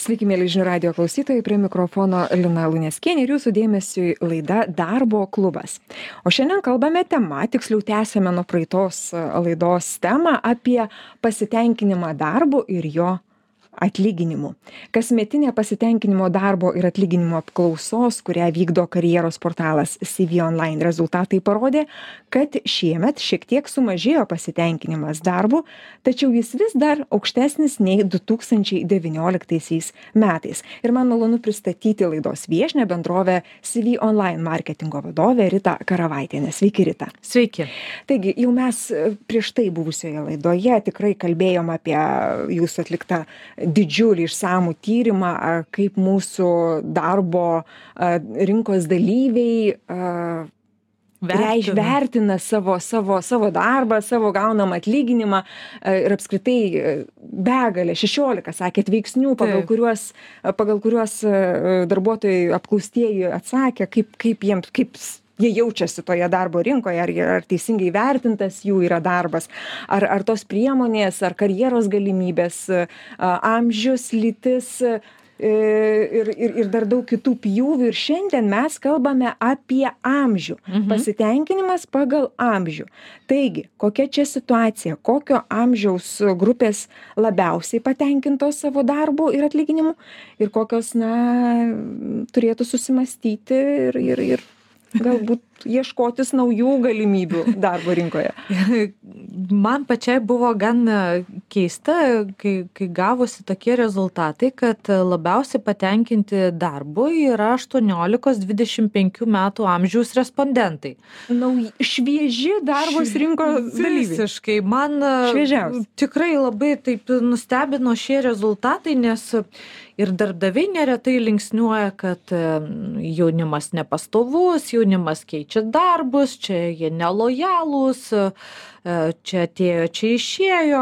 Sveiki, mėly žinių radio klausytojai, prie mikrofono Lina Luneskienė ir jūsų dėmesiui laida Darbo klubas. O šiandien kalbame tema, tiksliau tęsėme nuo praeitos laidos temą apie pasitenkinimą darbu ir jo atlyginimu. Kasmetinė pasitenkinimo darbo ir atlyginimo apklausos, kurią vykdo karjeros portalas CV Online, rezultatai parodė, kad šiemet šiek tiek sumažėjo pasitenkinimas darbu, tačiau jis vis dar aukštesnis nei 2019 metais. Ir man malonu pristatyti laidos viešnią bendrovę CV Online marketingo vadovę Ritą Karavaitienę. Sveiki, Rita. Sveiki. Taigi, jau mes prieš tai buvusioje laidoje tikrai kalbėjom apie jūsų atliktą didžiulį išsamų tyrimą, kaip mūsų darbo rinkos dalyviai vertina savo darbą, savo gaunamą atlyginimą ir apskritai begalę, 16, sakėt, veiksnių, pagal kuriuos darbuotojai apklaustieji atsakė, kaip jie jaučiasi toje darbo rinkoje, ar teisingai vertintas jų yra darbas, ar tos priemonės, ar karjeros galimybės, amžius, lytis ir dar daug kitų pjūvių. Ir šiandien mes kalbame apie amžių. Pasitenkinimas pagal amžių. Taigi, kokia čia situacija, kokio amžiaus grupės labiausiai patenkintos savo darbu ir atlyginimu ir kokios, turėtų susimastyti ir galbūt ieškotis naujų galimybių darbo rinkoje. Man pačiai buvo gan keista, kai gavosi tokie rezultatai, kad labiausiai patenkinti darbu yra 18-25 metų amžiaus respondentai. Švieži darbos rinkos dalyviai. Visiškai. Man tikrai labai taip nustebino šie rezultatai, nes ir darbdaviai neretai linksniuoja, kad jaunimas nepastovus, jaunimas keičia darbus, čia jie nelojalūs, čia atėjo, čia išėjo.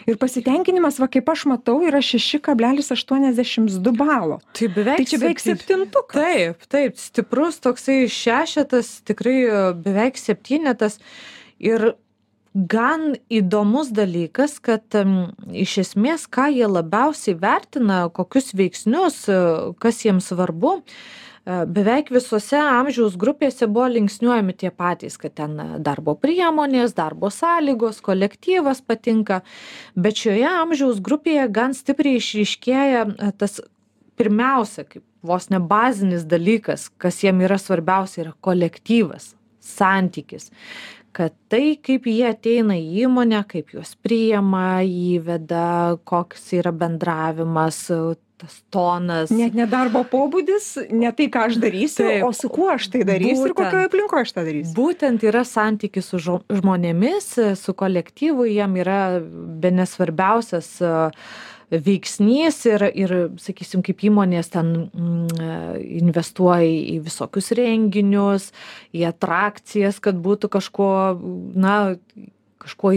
Ir pasitenkinimas, kaip aš matau, yra 6,82 balo. Tai čia beveik septintukas. Taip, stiprus toksai šešetas, tikrai beveik septynetas. Ir gan įdomus dalykas, kad iš esmės, ką jie labiausiai vertina, kokius veiksnius, kas jiems svarbu, beveik visose amžiaus grupėse buvo linksniuojami tie patys, kad ten darbo priemonės, darbo sąlygos, kolektyvas patinka, bet šioje amžiaus grupėje gan stipriai išryškėja tas pirmiausia, kaip vos ne bazinis dalykas, kas jiem yra svarbiausia, yra kolektyvas, santykis. Kad tai, kaip jie ateina į įmonę, kaip juos priima, įveda, koks yra bendravimas, tas tonas. Net ne darbo pobūdis, ne tai, ką aš darysiu, o su kuo aš tai darysiu ir kokioje aplinkoje aš tai darysiu. Būtent yra santykis su žmonėmis, su kolektyvu, jiem yra bene svarbiausias veiksnys ir sakysim, kaip įmonės ten investuoja į visokius renginius, į atrakcijas, kad būtų kažko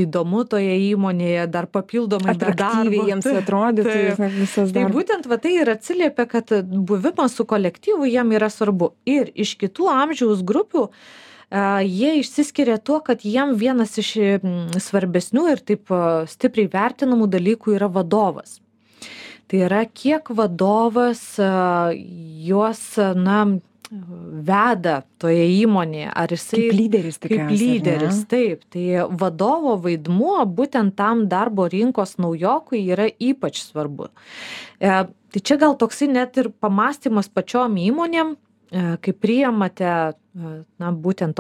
įdomu toje įmonėje, dar papildomai atraktyviai jiems atrodytų visas darbas. Tai būtent tai ir atsiliepia, kad buvimas su kolektyvu jiem yra svarbu. Ir iš kitų amžiaus grupių jie išsiskiria tuo, kad jiem vienas iš svarbesnių ir taip stipriai vertinamų dalykų yra vadovas. Tai yra, kiek vadovas juos, veda toje įmonėje, ar jisai kaip lyderis tikriausiai. Kaip lyderis, taip. Tai vadovo vaidmuo būtent tam darbo rinkos naujokui yra ypač svarbu. Tai čia gal toksai net ir pamąstymas pačiom įmonėm, kai priimate būtent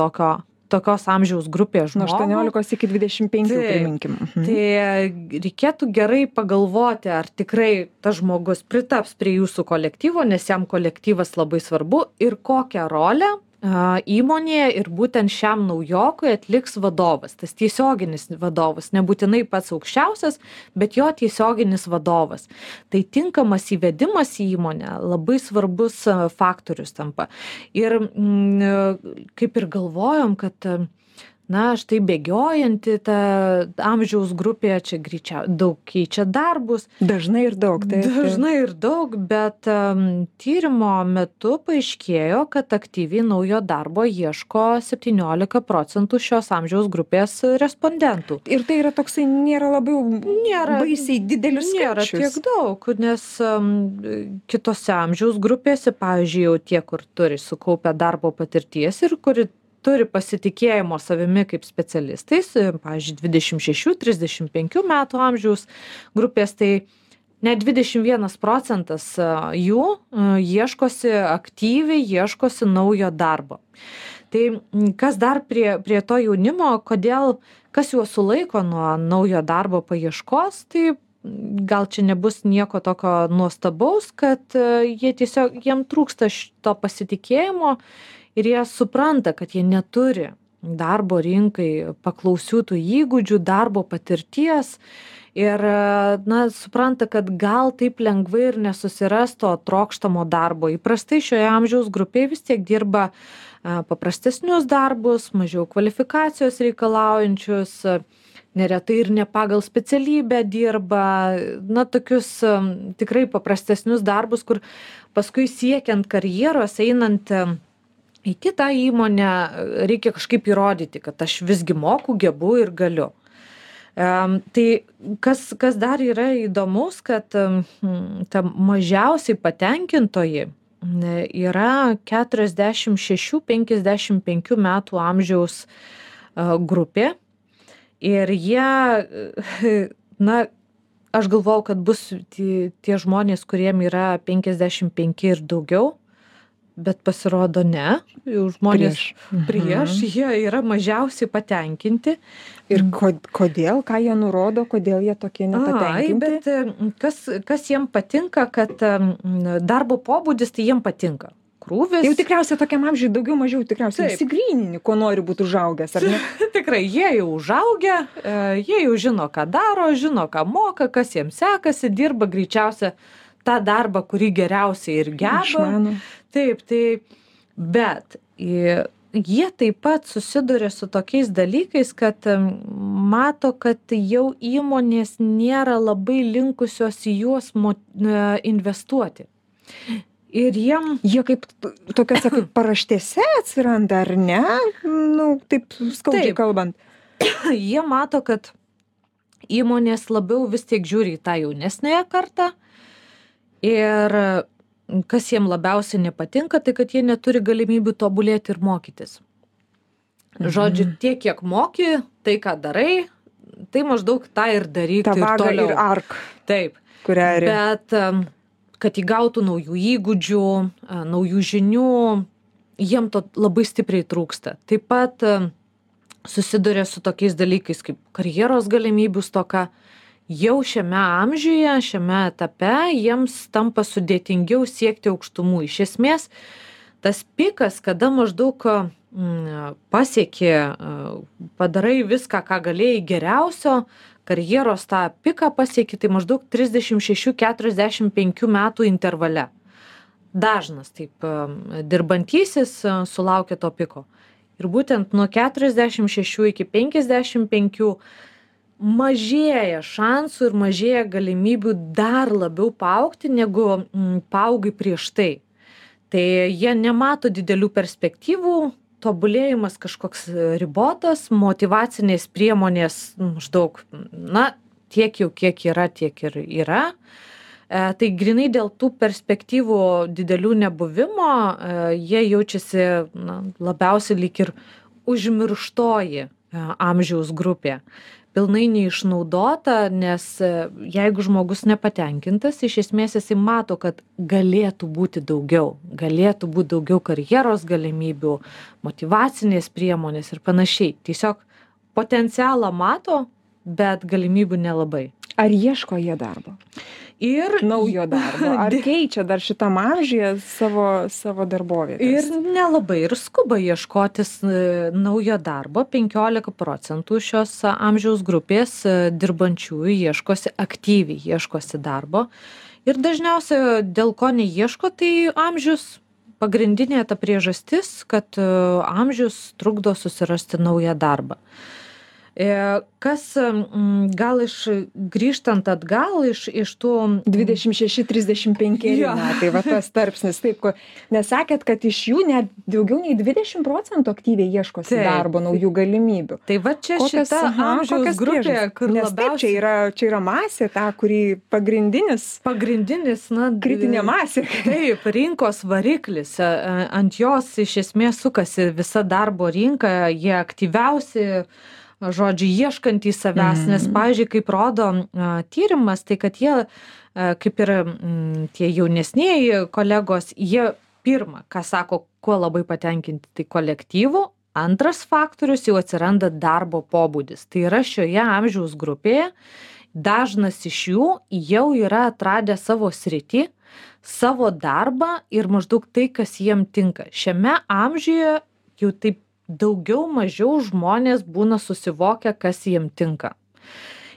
tokios amžiaus grupės žmogų. Nuo 18 iki 25, priminkim. Tai reikėtų gerai pagalvoti, ar tikrai tas žmogus pritaps prie jūsų kolektyvo, nes jam kolektyvas labai svarbu, ir kokią rolę įmonėje ir būtent šiam naujokui atliks vadovas. Tas tiesioginis vadovas, nebūtinai pats aukščiausias, bet jo tiesioginis vadovas. Tai tinkamas įvedimas į įmonę labai svarbus faktorius tampa. Ir kaip ir galvojom, kad štai bėgiojanti ta amžiaus grupė, čia daug keičia darbus. Dažnai ir daug. Dažnai ir daug, bet tyrimo metu paaiškėjo, kad aktyviai naujo darbo ieško 17% šios amžiaus grupės respondentų. Ir tai yra toksai, nėra labai baisiai didelis skaičius. Nėra tiek daug, nes kitose amžiaus grupėse, pavyzdžiui, jau tie, kur turi sukaupę darbo patirties ir kuri turi pasitikėjimo savimi kaip specialistais, pavyzdžiui, 26-35 metų amžiaus grupės, tai net 21% jų aktyviai ieškosi naujo darbo. Tai kas dar prie to jaunimo, kas juos sulaiko nuo naujo darbo paieškos, tai gal čia nebus nieko tokio nuostabaus, kad jiem trūksta šito pasitikėjimo, ir jie supranta, kad jie neturi darbo rinkai paklausių tų įgūdžių, darbo patirties ir supranta, kad gal taip lengvai ir nesusiras to trokštamo darbo. Įprastai šioje amžiaus grupėje vis tiek dirba paprastesnius darbus, mažiau kvalifikacijos reikalaujančius, neretai ir ne pagal specialybę dirba, tokius tikrai paprastesnius darbus, kur paskui siekiant karjeros, einant į kitą įmonę, reikia kažkaip įrodyti, kad aš visgi moku, gebu ir galiu. Tai kas dar yra įdomus, kad ta mažiausiai patenkintoji yra 46-55 metų amžiaus grupė. Ir jie, aš galvojau, kad bus tie žmonės, kuriem yra 55 ir daugiau, bet pasirodo ne, žmonės prieš, jie yra mažiausiai patenkinti. Ir kodėl, ką jie nurodo, kodėl jie tokie nepatenkinti? Bet kas jiem patinka, kad darbo pobūdis, tai jiem patinka. Krūvis. Jau tikriausiai tokiam amžiui daugiau mažiau tikriausiai įsigrynini, ko nori būti užaugęs, ar ne? Tikrai, jie jau užaugę, jie jau žino, ką daro, žino, ką moka, kas jiems sekasi, dirba greičiausia tą darbą, kurį geriausiai ir geba. Išmano. Taip, bet jie taip pat susiduria su tokiais dalykais, kad mato, kad jau įmonės nėra labai linkusios į juos investuoti. Ir jie kaip tokiose kaip paraštėse atsiranda, ar ne? Taip skaudžiai kalbant. Jie mato, kad įmonės labiau vis tiek žiūri į tą jaunesnąją kartą. Ir kas jiem labiausiai nepatinka, tai kad jie neturi galimybių tobulėti ir mokytis. Žodžiu, tiek kiek moki, tai ką darai, tai maždaug tą ir daryk. Ta vaga ir ark. Taip. Bet kad įgautų naujų įgūdžių, naujų žinių, jiem to labai stipriai trūksta. Taip pat susiduria su tokiais dalykais kaip karjeros galimybių stoka. Jau šiame amžiuje, šiame etape jiems tampa sudėtingiau siekti aukštumų. Iš esmės, tas pikas, kada maždaug pasieki, padarai viską, ką galėjai geriausio, karjeros tą piką pasieki, tai maždaug 36-45 metų intervale. Dažnas taip dirbantysis sulaukia to piko. Ir būtent nuo 46 iki 55 mažėja šansų ir mažėja galimybių dar labiau paaugti, negu paaugai prieš tai. Tai jie nemato didelių perspektyvų, tobulėjimas kažkoks ribotas, motyvacinės priemonės maždaug, tiek jau kiek yra, tiek ir yra. Tai grinai dėl tų perspektyvų didelių nebuvimo, jie jaučiasi labiausiai lyg ir užmirštoji amžiaus grupė. Pilnai neišnaudota, nes jeigu žmogus nepatenkintas, iš esmės jisai mato, kad galėtų būti daugiau karjeros galimybių, motyvacinės priemonės ir panašiai. Tiesiog potencialą mato, bet galimybių nelabai. Ar ieško jie darbo? Ir naujo darbo. Ar keičia dar šitam amžiuje savo darbovietes? Ir nelabai ir skuba ieškotis naujo darbo. 15% šios amžiaus grupės dirbančiųjų aktyviai ieškosi darbo. Ir dažniausiai dėl ko neieško, tai amžius pagrindinė ta priežastis, kad amžius trukdo susirasti naują darbą. Kas gal grįžtant atgal iš tų 26-35 metai, va tas tarpsnis, taip, nes sakėt, kad iš jų net daugiau nei 20% aktyviai ieškosi darbo, naujų galimybių. Tai va čia šita amžiaus grupė, kur labiausiai čia yra masė, ta, kuri pagrindinis, na, kritinė masė. Taip, rinkos variklis, ant jos iš esmės sukasi visa darbo rinka, jie aktyviausi, žodžiu, ieškantys savęs, nes, pavyzdžiui, kaip rodo tyrimas, tai kad jie, kaip ir tie jaunesnieji kolegos, jie pirma, ką sako, kuo labai patenkinti, tai kolektyvu, antras faktorius jau atsiranda darbo pobūdis. Tai yra šioje amžiaus grupėje, dažnas iš jų jau yra atradę savo sritį, savo darbą ir maždaug tai, kas jiem tinka. Šiame amžiuje jau taip daugiau mažiau žmonės būna susivokę, kas jiem tinka.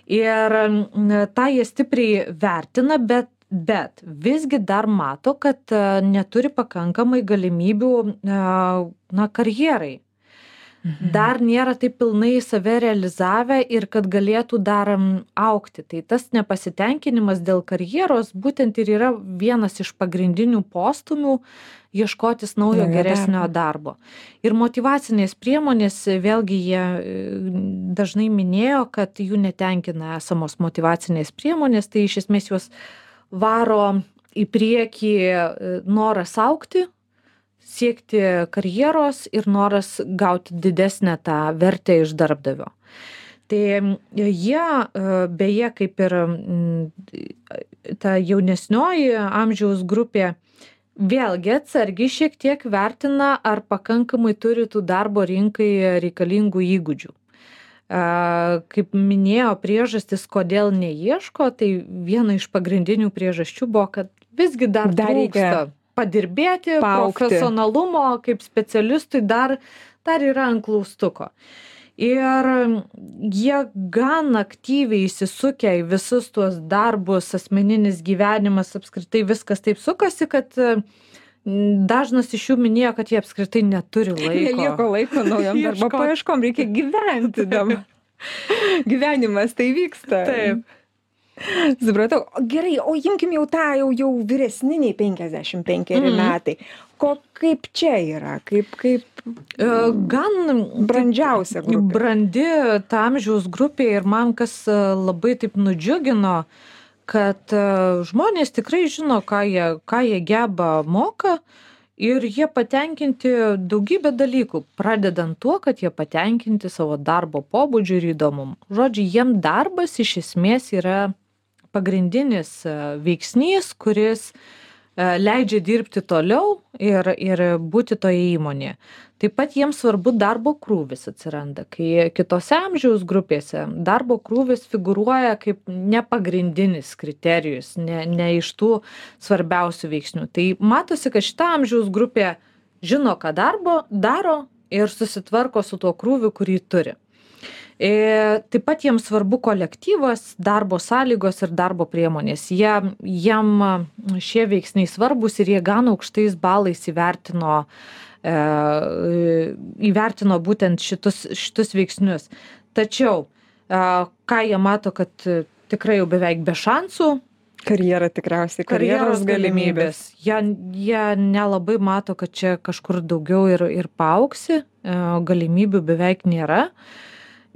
Ir tą jie stipriai vertina, bet visgi dar mato, kad neturi pakankamai galimybių karjerai. Dar nėra taip pilnai save realizavę ir kad galėtų dar augti. Tai tas nepasitenkinimas dėl karjeros būtent ir yra vienas iš pagrindinių postūmių ieškotis naujo geresnio darbo. Ir motyvacinės priemonės, vėlgi jie dažnai minėjo, kad jų netenkina esamos motyvacinės priemonės, tai iš esmės juos varo į priekį noras augti, siekti karjeros ir noras gauti didesnę tą vertę iš darbdavio. Tai jie, beje, kaip ir ta jaunesnioji amžiaus grupė, vėlgi atsargiai šiek tiek vertina, ar pakankamai turi tų darbo rinkai reikalingų įgūdžių. Kaip minėjo priežastis, kodėl neieško, tai viena iš pagrindinių priežasčių buvo, kad visgi dar trūksta padirbėti, profesionalumo kaip specialistui dar yra ant klaustuko. Ir jie gan aktyviai įsisukę į visus tuos darbus, asmeninis gyvenimas, apskritai viskas taip sukasi, kad dažnas iš jų minėjo, kad jie apskritai neturi laiko. Nelieko laiko naujam darbo paieškom, reikia gyventi dabar. Gyvenimas tai vyksta. Taip. Supratau. Gerai, o imkim jau tą jau vyresniniai 55 metai. Kaip čia yra? Kaip gan brandžiausia grupė? Brandi ta amžiaus grupė ir man kas labai taip nudžiugino, kad žmonės tikrai žino, ką jie geba moka ir jie patenkinti daugybę dalykų, pradedant tuo, kad jie patenkinti savo darbo pobūdžiu ir įdomumu. Žodžiu, jiem darbas iš esmės yra pagrindinis veiksnys, kuris leidžia dirbti toliau ir būti toje įmonėje. Taip pat jiems svarbu darbo krūvis atsiranda, kai kitose amžiaus grupėse darbo krūvis figūruoja kaip nepagrindinis kriterijus, ne iš tų svarbiausių veiksnių. Tai matosi, kad šita amžiaus grupė žino, ką daro ir susitvarko su tuo krūviu, kurį turi. Taip pat jiems svarbu kolektyvas, darbo sąlygos ir darbo priemonės. Jiem šie veiksniai svarbus ir jie gan aukštais balais įvertino būtent šitus veiksnius. Tačiau, ką jie mato, kad tikrai jau beveik be šansų. Karjera tikriausiai, karjeros galimybės. Jie nelabai mato, kad čia kažkur daugiau ir paaugsi, galimybių beveik nėra.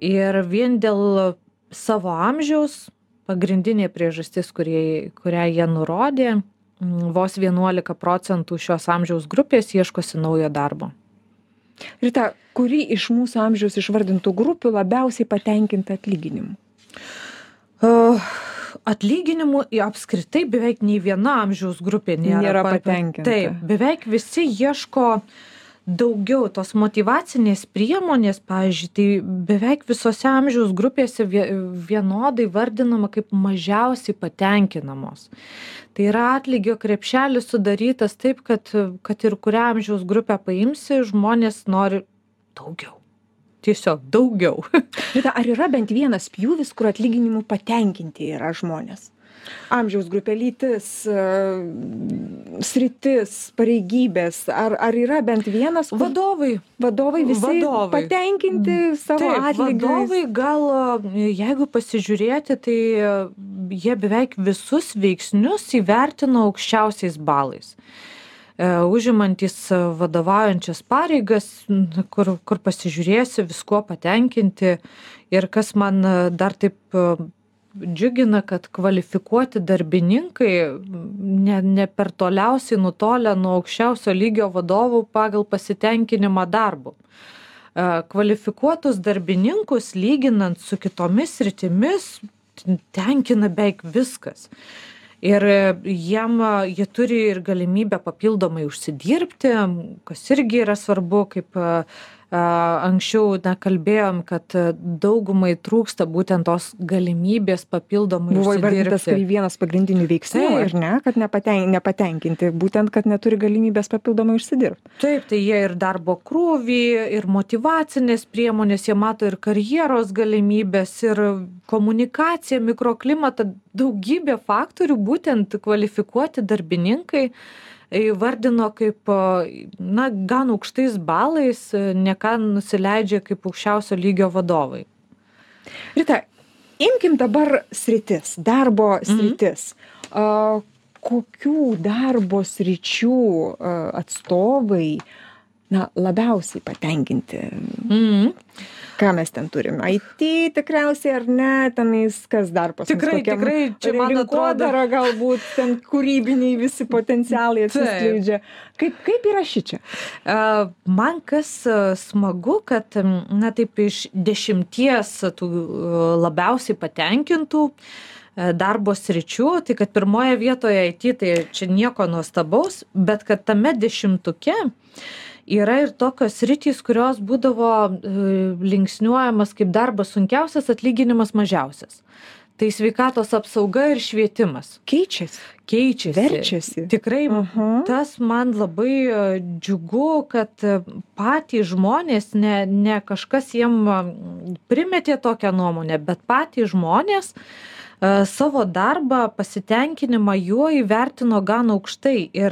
Ir vien dėl savo amžiaus, pagrindinė priežastis, kurią jie nurodė, vos 11% šios amžiaus grupės ieškosi naujo darbo. Rita, kuri iš mūsų amžiaus išvardintų grupių labiausiai patenkinta atlyginimu? Atlyginimų apskritai beveik nei viena amžiaus grupė nėra patenkinta. Taip, beveik visi ieško daugiau tos motyvacinės priemonės, pavyzdžiui, tai beveik visose amžiaus grupėse vienodai vardinama kaip mažiausiai patenkinamos. Tai yra atlygio krepšelis sudarytas taip, kad ir kurią amžiaus grupę paimsi, žmonės nori daugiau. Tiesiog daugiau. Bet ar yra bent vienas pjūvis, kur atlyginimu patenkinti yra žmonės? Amžiaus grupė, lytis, sritis, pareigybės, ar yra bent vienas? Vadovai. Vadovai visi patenkinti savo atlygiais? Vadovai gal, jeigu pasižiūrėti, tai jie beveik visus veiksnius įvertino aukščiausiais balais. Užimantys vadovaujančias pareigas, kur pasižiūrėsi, viskuo patenkinti. Ir kas man dar taip džiugina, kad kvalifikuoti darbininkai ne per toliausiai nutolę nuo aukščiausio lygio vadovų pagal pasitenkinimą darbu. Kvalifikuotus darbininkus, lyginant su kitomis sritimis, tenkina beveik viskas. Ir jie turi ir galimybę papildomai užsidirbti, kas irgi yra svarbu, kaip anksčiau kalbėjom, kad daugumai trūksta būtent tos galimybės papildomai buvo užsidirbti. Buvo įvardintas kaip vienas pagrindinių veiksnių, ir ne, kad nepatenkinti, būtent, kad neturi galimybės papildomai užsidirbti. Taip, tai jie ir darbo krūvį, ir motyvacinės priemonės, jie mato ir karjeros galimybės, ir komunikaciją, mikroklimatą, daugybė faktorių, būtent kvalifikuoti darbininkai įvardino kaip, gan aukštais balais, ne ką nusileidžia kaip aukščiausio lygio vadovai. Rita, imkim dabar sritis, darbo sritis. Kokių darbo sričių atstovai labiausiai patenkinti? Ką mes ten turim? IT tikriausiai ar ne? Tenais kas dar pas mus? Tikrai, čia man atrodo. Galbūt ten kūrybiniai visi potencialai atsiskleidžia. Kaip yra šičia? Man kas smagu, kad taip iš 10 tų labiausiai patenkintų darbo sričių, tai kad pirmoje vietoje IT, tai čia nieko nuostabaus, bet kad tame 10-uke yra ir tokios sritys, kurios būdavo linksniuojamas kaip darbas sunkiausias, atlyginimas mažiausias. Tai sveikatos apsauga ir švietimas. Keičiasi. Verčiasi. Tikrai tas man labai džiugu, kad patys žmonės, ne kažkas jiem primetė tokią nuomonę, bet patys žmonės savo darbą, pasitenkinimą juo įvertino gan aukštai. Ir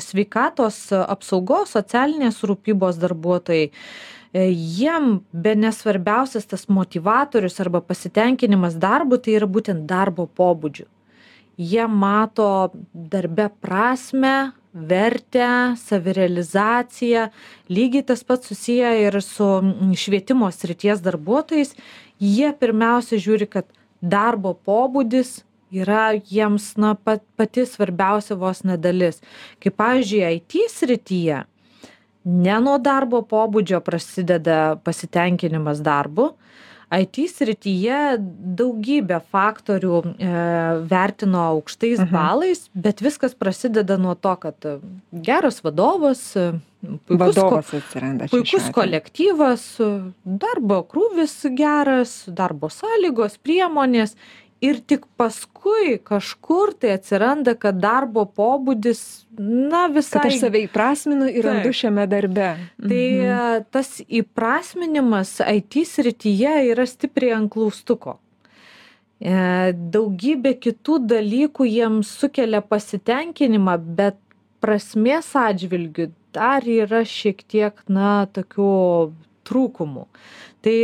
sveikatos apsaugos, socialinės rūpybos darbuotojai, jiem bene svarbiausias tas motivatorius arba pasitenkinimas darbu, tai yra būtent darbo pobūdžiu. Jie mato darbe prasmę, vertę, savirealizaciją. Lygiai tas pats susiję ir su švietimo srities darbuotojais. Jie pirmiausia žiūri, kad darbo pobūdis yra jiems pati svarbiausia vos nedalis. Kaip pavyzdžiui, IT srityje ne nuo darbo pobūdžio prasideda pasitenkinimas darbu. IT srityje daugybę faktorių vertino aukštais balais, bet viskas prasideda nuo to, kad geras vadovas, puikus kolektyvas, darbo krūvis geras, darbo sąlygos, priemonės. Ir tik paskui kažkur tai atsiranda, kad darbo pobūdis, visai... Kad aš save įprasminu ir randu šiame darbe. Tai tas įprasminimas IT srityje yra stipriai ant klaustuko. Daugybė kitų dalykų jiems sukelia pasitenkinimą, bet prasmės atžvilgiu dar yra šiek tiek, tokių trūkumų. Tai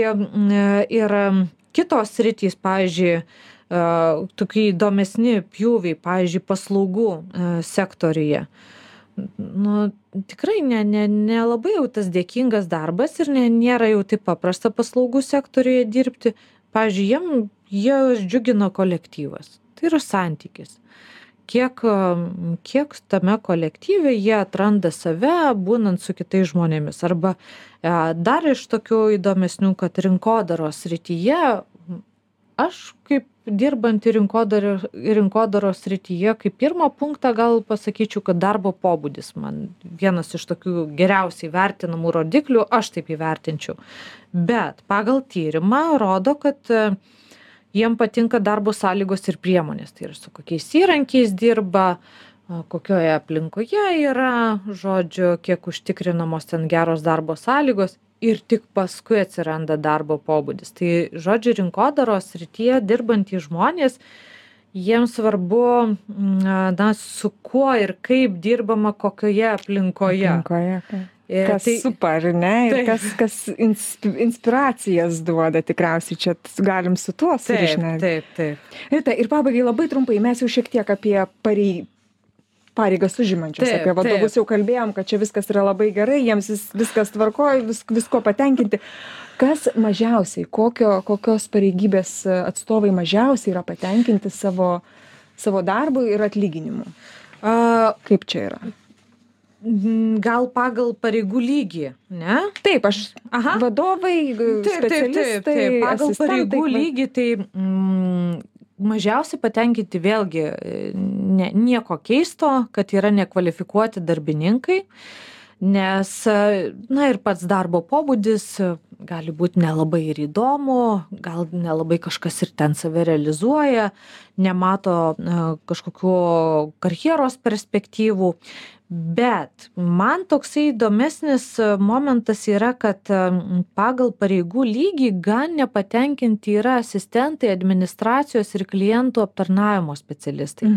ir kitos sritys, pavyzdžiui, tokie įdomesni pjūviai, pavyzdžiui, paslaugų sektoriuje. Tikrai nelabai jau tas dėkingas darbas ir nėra jau taip paprasta paslaugų sektoriuje dirbti. Pavyzdžiui, jie džiugina kolektyvas. Tai yra santykis. Kiek tame kolektyve jie atranda save, būnant su kitais žmonėmis. Arba dar iš tokių įdomesnių, kad rinkodaros srityje, aš kaip dirbantį rinkodaros srityje, kaip pirmą punktą gal pasakyčiau, kad darbo pobūdis man vienas iš tokių geriausiai vertinamų rodiklių, aš taip įvertinčiau. Bet pagal tyrimą rodo, kad jiem patinka darbo sąlygos ir priemonės. Tai yra su kokiais įrankiais dirba, kokioje aplinkoje yra, kiek užtikrinamos ten geros darbo sąlygos. Ir tik paskui atsiranda darbo pobūdis. Tai rinkodaros srityje dirbantys žmonės, jiems svarbu, su kuo ir kaip dirbama, kokioje aplinkoje. Kas super, ne? Ir kas inspiracijas duoda tikriausiai, čia galim su tuo surišti. Taip. Rita, ir pabaigai labai trumpai, mes jau šiek tiek apie pareigas užimančius, apie vadovus jau kalbėjom, kad čia viskas yra labai gerai, jiems viskas tvarkoja, visko patenkinti. Kas mažiausiai, kokios pareigybės atstovai mažiausiai yra patenkinti savo darbu ir atlyginimu? Kaip čia yra? Gal pagal pareigų lygį, ne? Taip, vadovai, specialistai, taip. Pagal pareigų lygį, tai mažiausiai patenkinti vėlgi nieko keisto, kad yra nekvalifikuoti darbininkai, nes, ir pats darbo pobūdis gali būti nelabai ir įdomu, gal nelabai kažkas ir ten save realizuoja, nemato kažkokių karjeros perspektyvų. Bet man toksai įdomesnis momentas yra, kad pagal pareigų lygį gan nepatenkinti yra asistentai, administracijos ir klientų aptarnavimo specialistai.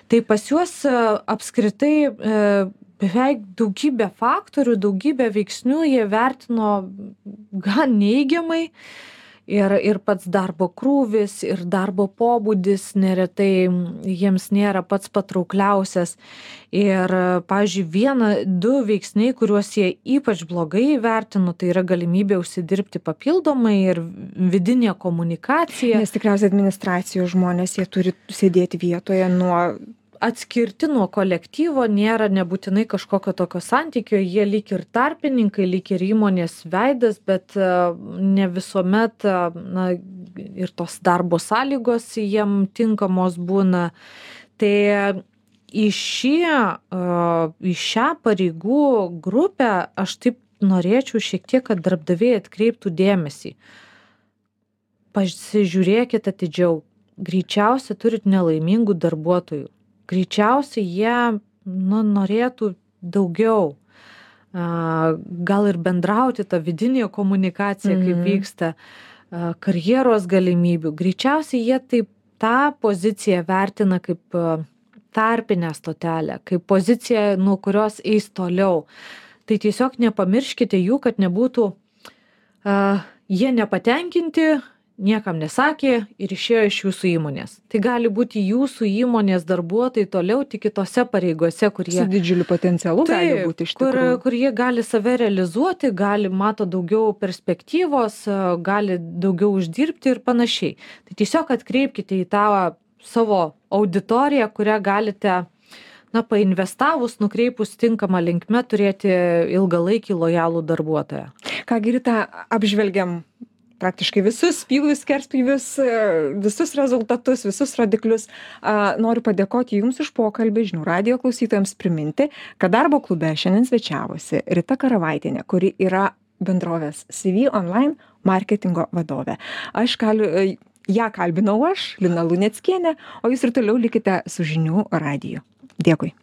Tai pas juos apskritai beveik daugybę faktorių, daugybę veiksnių jie vertino gan neigiamai. Ir pats darbo krūvis, ir darbo pobūdis neretai jiems nėra pats patraukliausias. Ir, pavyzdžiui, 2 veiksniai, kuriuos jie ypač blogai įvertino, tai yra galimybė užsidirbti papildomai ir vidinė komunikacija. Nes tikriausiai administracijos žmonės, jie turi sėdėti vietoje atskirti nuo kolektyvo, nėra nebūtinai kažkokio tokio santykio, jie lyg ir tarpininkai, lyg ir įmonės veidas, bet ne visuomet ir tos darbo sąlygos jiem tinkamos būna. Tai į šią pareigų grupę aš taip norėčiau šiek tiek, kad darbdaviai atkreiptų dėmesį. Pasižiūrėkit atidžiau, greičiausiai turit nelaimingų darbuotojų. Greičiausiai jie norėtų daugiau, gal ir bendrauti tą vidinę komunikaciją, kaip vyksta, karjeros galimybių. Greičiausiai jie taip tą poziciją vertina kaip tarpinę stotelę, kaip poziciją, nuo kurios eis toliau. Tai tiesiog nepamirškite jų, kad nebūtų jie nepatenkinti, niekam nesakė ir išėjo iš jūsų įmonės. Tai gali būti jūsų įmonės darbuotojai toliau tik kitose pareigose, kur jie... Su didžiuliu potencialu gali būti iš tikrųjų. Kur jie gali save realizuoti, mato daugiau perspektyvos, gali daugiau uždirbti ir panašiai. Tai tiesiog atkreipkite į tą savo auditoriją, kurią galite, painvestavus, nukreipus tinkamą linkme, turėti ilgalaikį lojalų darbuotoją. Ką, Rita, apžvelgiam praktiškai visus pjūvius, skerspjūvius, visus rezultatus, visus rodiklius. Noriu padėkoti Jums už pokalbį, žinių radijo klausytojams priminti, kad darbo klube šiandien svečiavosi Rita Karavaitienė, kuri yra bendrovės CV Online marketingo vadovė. Ją kalbinau aš, Lina Luneckienė, o Jūs ir toliau likite su žinių radiju. Dėkui.